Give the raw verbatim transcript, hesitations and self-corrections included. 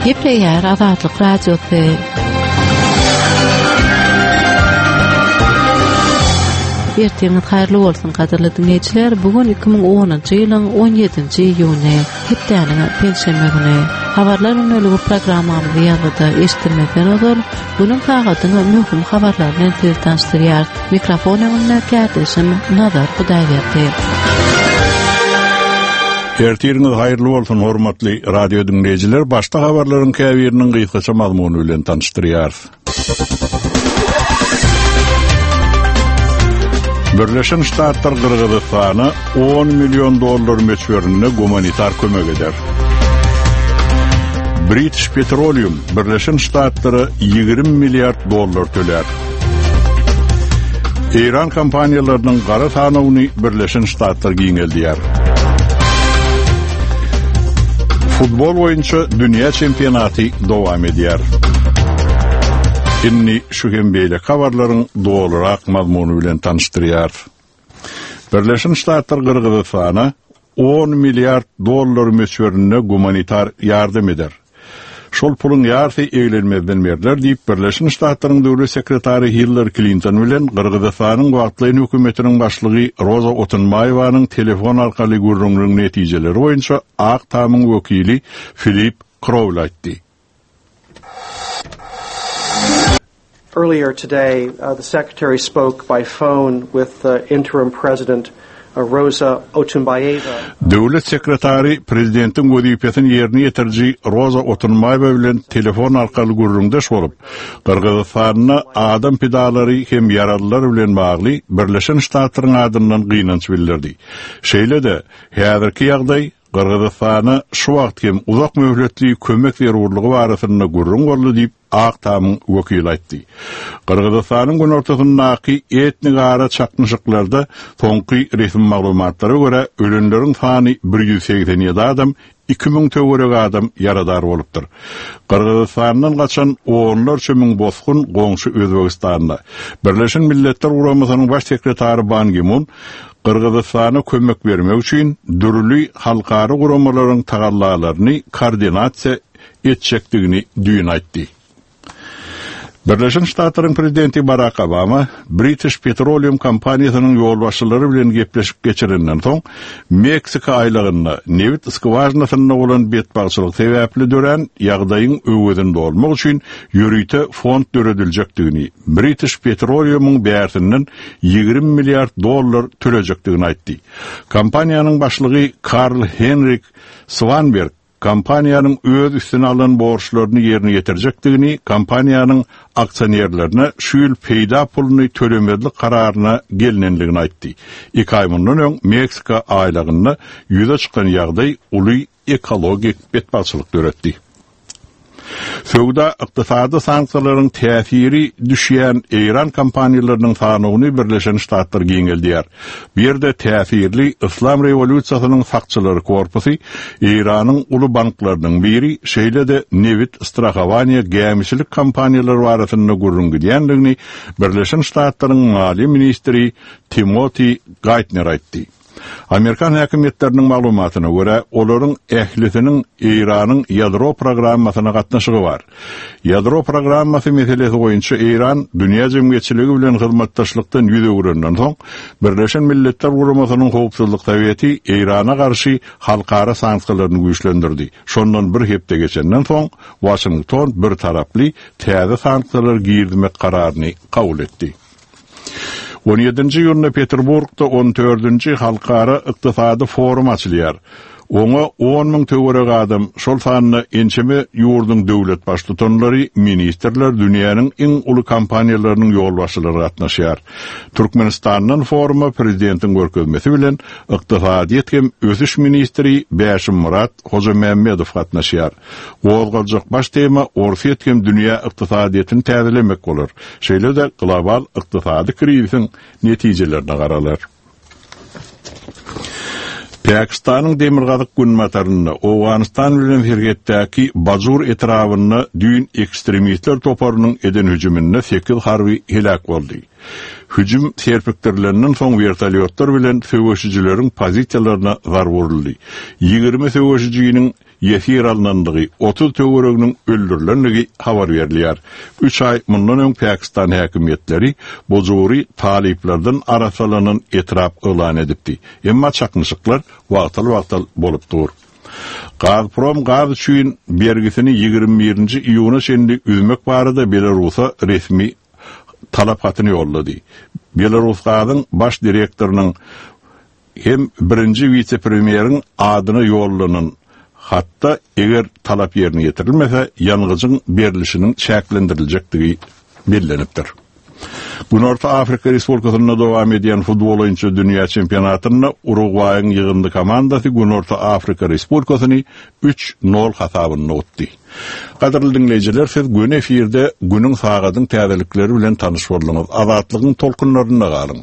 Gepleýär Azatlyk Radiosy. Ertiriňiz haýyrly bolsun, gadyrly diňleýjiler. Bu gün iki müň onunjy ýylyň on ýedinji iýuny, hepdäniň penşenbe güni. Habarlar gündeligi programmamyzy ýazgyda eşitdirmezden ozal, günüň sagadyň möhüm habarlary bilen sizi tanyşdyrýarys. Mikrofon öňünde kärdeşim Nazar Hudaýberdi. Ertiriňiz haýyrly bolsun, hormatly radio diňleýjiler. Başda habarlaryň käbiriniň gysgaça mazmuny bilen tanyşdyrýarys. Birleşen Ştatlar Gyrgyzystana on million dollar möçberinde gumanitar kömek eder. British Petroleum Birleşen Ştatlara ýigrimi milliard dollar töler. Eýran kompaniýalarynyň gara sanawyny Birleşen Ştatlar giňeldýär. Futbol boýunça dünýä çempionaty dowam edýär. Indi şu hem beýle habarlaryň dolurak mazmuny bilen tanyşdyrýar. Birleşen Ştatlar Gyrgyzystana on milliard dollar möçberinde gumanitar ýardam eder. Şol puluň ýarysy eglenmezden berler diýip Birleşen Ştatlaryň döwlet sekretary Hillary Clinton bilen Gyrgyzystanyň wagtlaýyn hökümetiniň başlygy Roza Otunbaýewanyň telefon arkaly gürrüňiniň netijeleri boýunça Ak Tamyň wekili Filip Krowl aýtdy. Earlier today, uh, the secretary spoke by phone with, uh, interim president Roza Otunbayeva. Döwlet sekretary prezidentiň wezipesini ýerine ýetiriji Roza Otunbaýewa bilen telefon arkaly gürrüňdeş bolup, Gyrgyzystanda adam pidalary hem ýaralylar bilen bagly Birleşen Ştatlaryň adyndan gynanç bildirdi. Şeýle-de, häzirki ýagdaý Gyrgyzystana şu wagt hem uzak möhletli kömek zerurlygy barasynda gürrüň boldy diýip Ak Tamyň wekili aýtdy. Gyrgyzystanyň günortasyndaky etnik ara çaknyşyklarda soňky resmi maglumatlara görä ölenleriň sany bir ýüz segsen ýedi adam, iki müň töwerek adam ýaradar bolupdyr. Gyrgyzystandan gaçan onlarça müň bosgun goňşy Özbegistanda. Birleşen Milletler Guramasynyň baş sekretary Ban Ki-mun Gyrgyzystana kömek bermek üçin dürli halkara guramalaryň tagallalaryny koordinasiýa etjekdigini düýn aýtdy. Birleşen Ştatlaryň prezidenti Barack Obama British Petroleum kompaniýasynyň ýolbaşçylary bilen gepleşip geçirenden soň Meksika aýlagynda nebit skwažinasynda bolan betbagtçylyk sebäpli dörän ýagdaýyň öwezini dolmak üçin ýörite fond dörediljekdigini, British Petroleumyň bärsinden ýigrimi milliard dollar tölejekdigini aýtdy. Kompaniýanyň başlygy Karl Henrik Swanberg kompaniýanyň öz üstüne alan borçlaryny ýerine ýetirjekdigini, kompaniýanyň aksionerlerine şu ýyl peýda puluny tölemezlik kararyna gelinendigini aýtdy. Iki aý mundan öň Meksika aýlagynda ýüze çykan ýagdaý uly ekologik betbagtçylyk döretdi. Söwda ykdysady sanksiýalaryň täsiri düşýän Eýran kompaniýalarynyň sanawyny Birleşen Ştatlar giňeldýär. Bu ýerde täsirli Islam rewolýusiýasynyň sakçylary korpusy Eýranyň uly banklarynyň biri, şeýle-de nebit, strahowaniýa, gämiçilik kompaniýalary arasynda gürrüň gidýändigini Birleşen Ştatlaryň maliýe ministri Timothy Geithner aýtdy. Amerikan häkimiýetleriniň maglumatyna görä, olaryň ählisiniň Eýranyň ýadro programmasyna gatnaşygy bar. Ýadro programmasy meselesi boýunça Eýran dünýä jemgyýetçiligi bilen hyzmatdaşlykdan ýüz öwrenden soň, Birleşen Milletler Guramasynyň Howpsuzlyk Soweti Eýrana garşy halkara sanksiýalaryny güýçlendirdi. Şondan bir hepde geçenden soň, Washington bir taraply täze sanksiýalar girizmek kararyny kabul etdi. On ýedinji iýunda Peterburgda on dördünji halkara ykdysady forum açylýar. Oňa on müň töwerek adam, şol sanda ençeme ýurduň döwlet baştutanlary, ministrler, dünýäniň iň uly kompaniýalarynyň ýolbaşçylary gatnaşýar. Türkmenistandan foruma prezidentiň görkezmesi bilen ykdysadyýet hem ösüş ministri Bäşim Murat Hojamämmedow gatnaşýar. Gozgaljak baş tema Orsýet hem dünýä ykdysadyýetini täzelemek bolar. Şeýle-de global ykdysady krizisiň netijelerine garalar. Pakistanyň demirgazyk günbatarynda Owganystan bilen serhetdäki Bajur etrabynda düýn ekstremistler toparynyň eden hüjüminde sekiz harby helak boldy. Hüjüm serpikdirilenden soň vertolyotlar bilen söweşijileriň pozisiýalaryna zar vuruldy. Ýigrimi söweşijiniň ýesir alnandygy, otuz töwereginiň öldürilendigi habar berilýär. Üç aý mundan öň Pakistan häkimiýetleri Bojury talyplardan arassalanan etrap yglan edipdi. Emma çaknyşyklar wagtal-wagtal bolup dur. Gazprom gaz üçin bergisini ýigrimi birinji iýuna çenli üzmek barada Belarusa resmi talap hatyny ýollady. Belarus gazyň baş direktorynyň hem birinji wise-premýeriň adyna ýollanan hatda eger talap ýerine ýetirilmese, ýangyjyň berlişiniň çäklendiriljekdigi bellenipdir. Günorta Afrika Respublikasynda dowam edýän futbol boýunça dünýä çempionatynda Urugwaýyň ýygyndy komandasy Günorta Afrika Respublikasyny üç nol hasabynda utdy. Gadyrly diňleýjiler, siz göni efirde günüň sagadyň täzelikleri bilen tanyş bolduňyz. Azatlygyň tolkunlarynda galyň.